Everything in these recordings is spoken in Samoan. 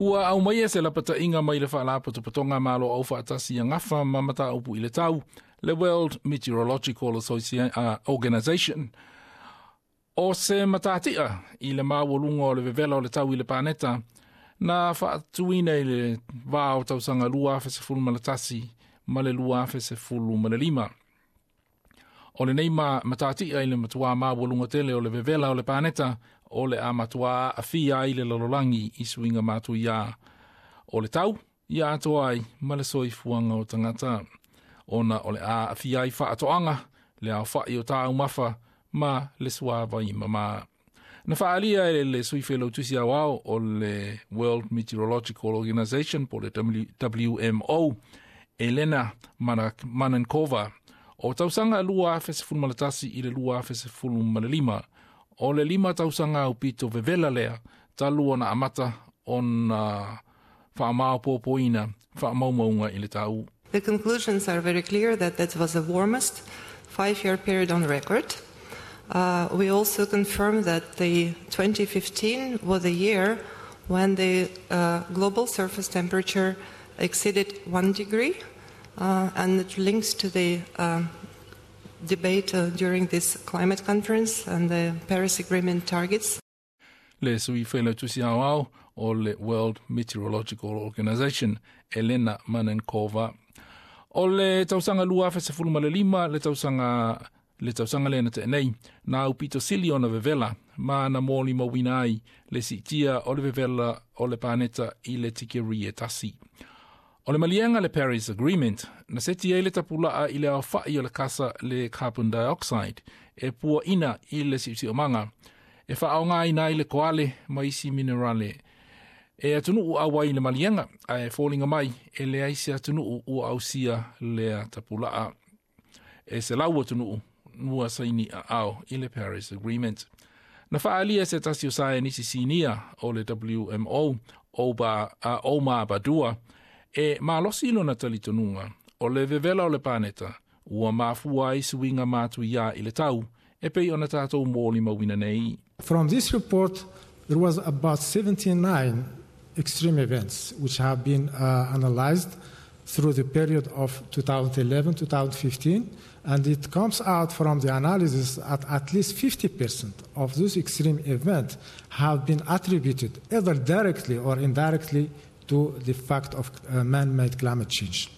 Ua aumaia se lapata'iga mai le Faalapotopotoga Malo Aufaatasi e Gafa ma Mataupu i le Tau, le World Meteorological Organization. O se matati'a i le maualuga o le vevela o le tau i le paneta, na faatuina i le vā o tausaga 2011 ma le 2015. O lenei ma matati'a i le matuā maualuga tele o le vevela o le paneta, o le a matuā a'afia ai le lalolagi i suiga matuiā o le tau, ia atoa ai ma le soifuaga o tagata. Ona o le a a'afia ai faatoaga, le aofa'i o taumafa ma le suāvai mamā. Na faaalia e le sui failautusi aoao o le World Meteorological Organization po le WMO, Elena Manankova, o tausaga 2011 i le 2015, o le 5 tausaga aupito vevela lea, talu ona amata ona faamaopoopoina faamaumauga i le tau. The conclusions are very clear that that was the warmest 5-year period on record. We also confirmed that the 2015 was the year when the global surface temperature exceeded 1 degree, and it links to the debate during this climate conference and the Paris Agreement targets. Le sui failautusi aoao o le World Meteorological Organization, Elena Manankova. O le tausaga 2015, le tausaga lea na te'enei, na aupito sili ona vevela, ma na molimauina ai le si'itia o le vevela o le paneta i le tikeri e 1. O le maliega le Paris Agreement, na seti ai le tapula'a i le aofa'i o le kasa le carbon dioxide, e pua'ina i le si'osi'omaga, e fa'aaogāina ai le koale ma isi minerale. E atunu'u auai i le maliega, ae foliga mai e leai se atunu'u ua ausia lea tapula'a. E 100 atunu'u ua saini a'ao i le Paris Agreement. Na fa'aalia se tasi o saienisi sinia o le WMO, Omar Badua, e malosi lona talitonuga, o le vevela o le paneta, ua mafua ai suiga matuiā i le tau, e pei ona tatou molimauina nei. From this report, there was about 79 extreme events which have been analyzed through the period of 2011-2015, and it comes out from the analysis that at least 50% of those extreme events have been attributed either directly or indirectly to the fact of man-made climate change.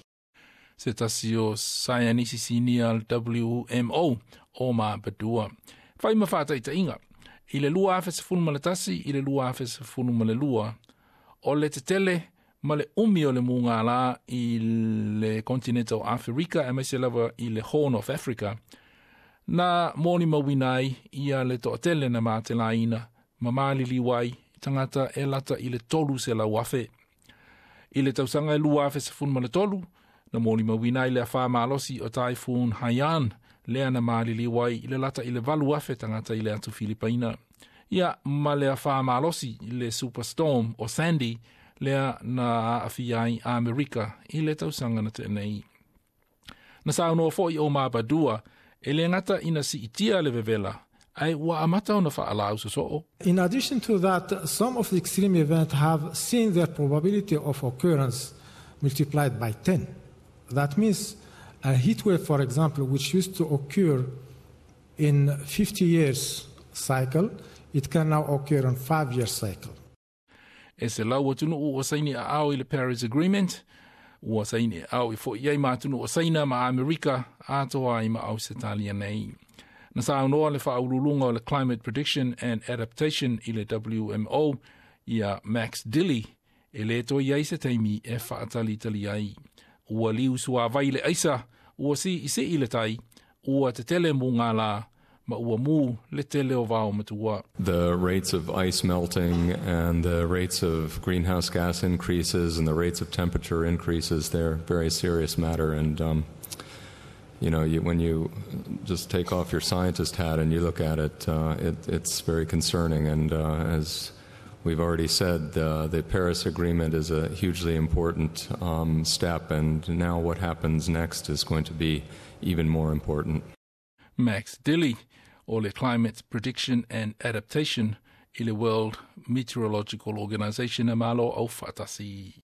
Se tasi o saienisi sinia WMO, Omar Badua. Fai ma whātaitaiga, i le 2011 i le 2012, o le tetele ma le umi o le mugālā i le kontineta o Aferika aemaise lava i le Horn of Africa, na molimauina ai ia le to'atele na matelaina ma maliliu ai tagata e lata i le 300,000. I le tausaga e 2013, na molimauina ai le afā malosi o Typhoon Haiyan, lea na maliliu ai i le lata i le 8,000 tagata i le atu Filipaina. Ia ma le afā malosi le Superstorm o Sandy, lea na aafia ai Amerika i le tausaga na te'enei. Na saunoa fo'i Omar Badua, e le gata ina si'itia le vevela, ae ua amata ona fa'alaau sosoo. In addition to that, some of the extreme events have seen their probability of occurrence multiplied by 10. That means a heat wave, for example, which used to occur in 50 years cycle, it can now occur on 5-year cycle. E 100 atunu'u ua saini a'ao i le Paris Agreement, ua saini a'ao i fo'i ai ma atunu'u o Saina ma Amerika atoa ai ma Ausetalia nei. Na saunoa le fa'aululuga o le Climate Prediction and Adaptation i le WMO, ia Max Dilley, e lē toe i ai se taimi e fa'atalitali ai. Ua liu suāvai le aisa, ua si'isi'i le tai, ua tetele mugālā, ma ua mū le tele o vao matua. The rates of ice melting and the rates of greenhouse gas increases and the rates of temperature increases, they're very serious matter. And when you just take off your scientist hat and you look at it, it's very concerning. And as we've already said, the Paris Agreement is a hugely important step, and now what happens next is going to be even more important. Max Dilley, o le Climate Prediction and Adaptation. I le World Meteorological Organization e Malo Aufaatasi.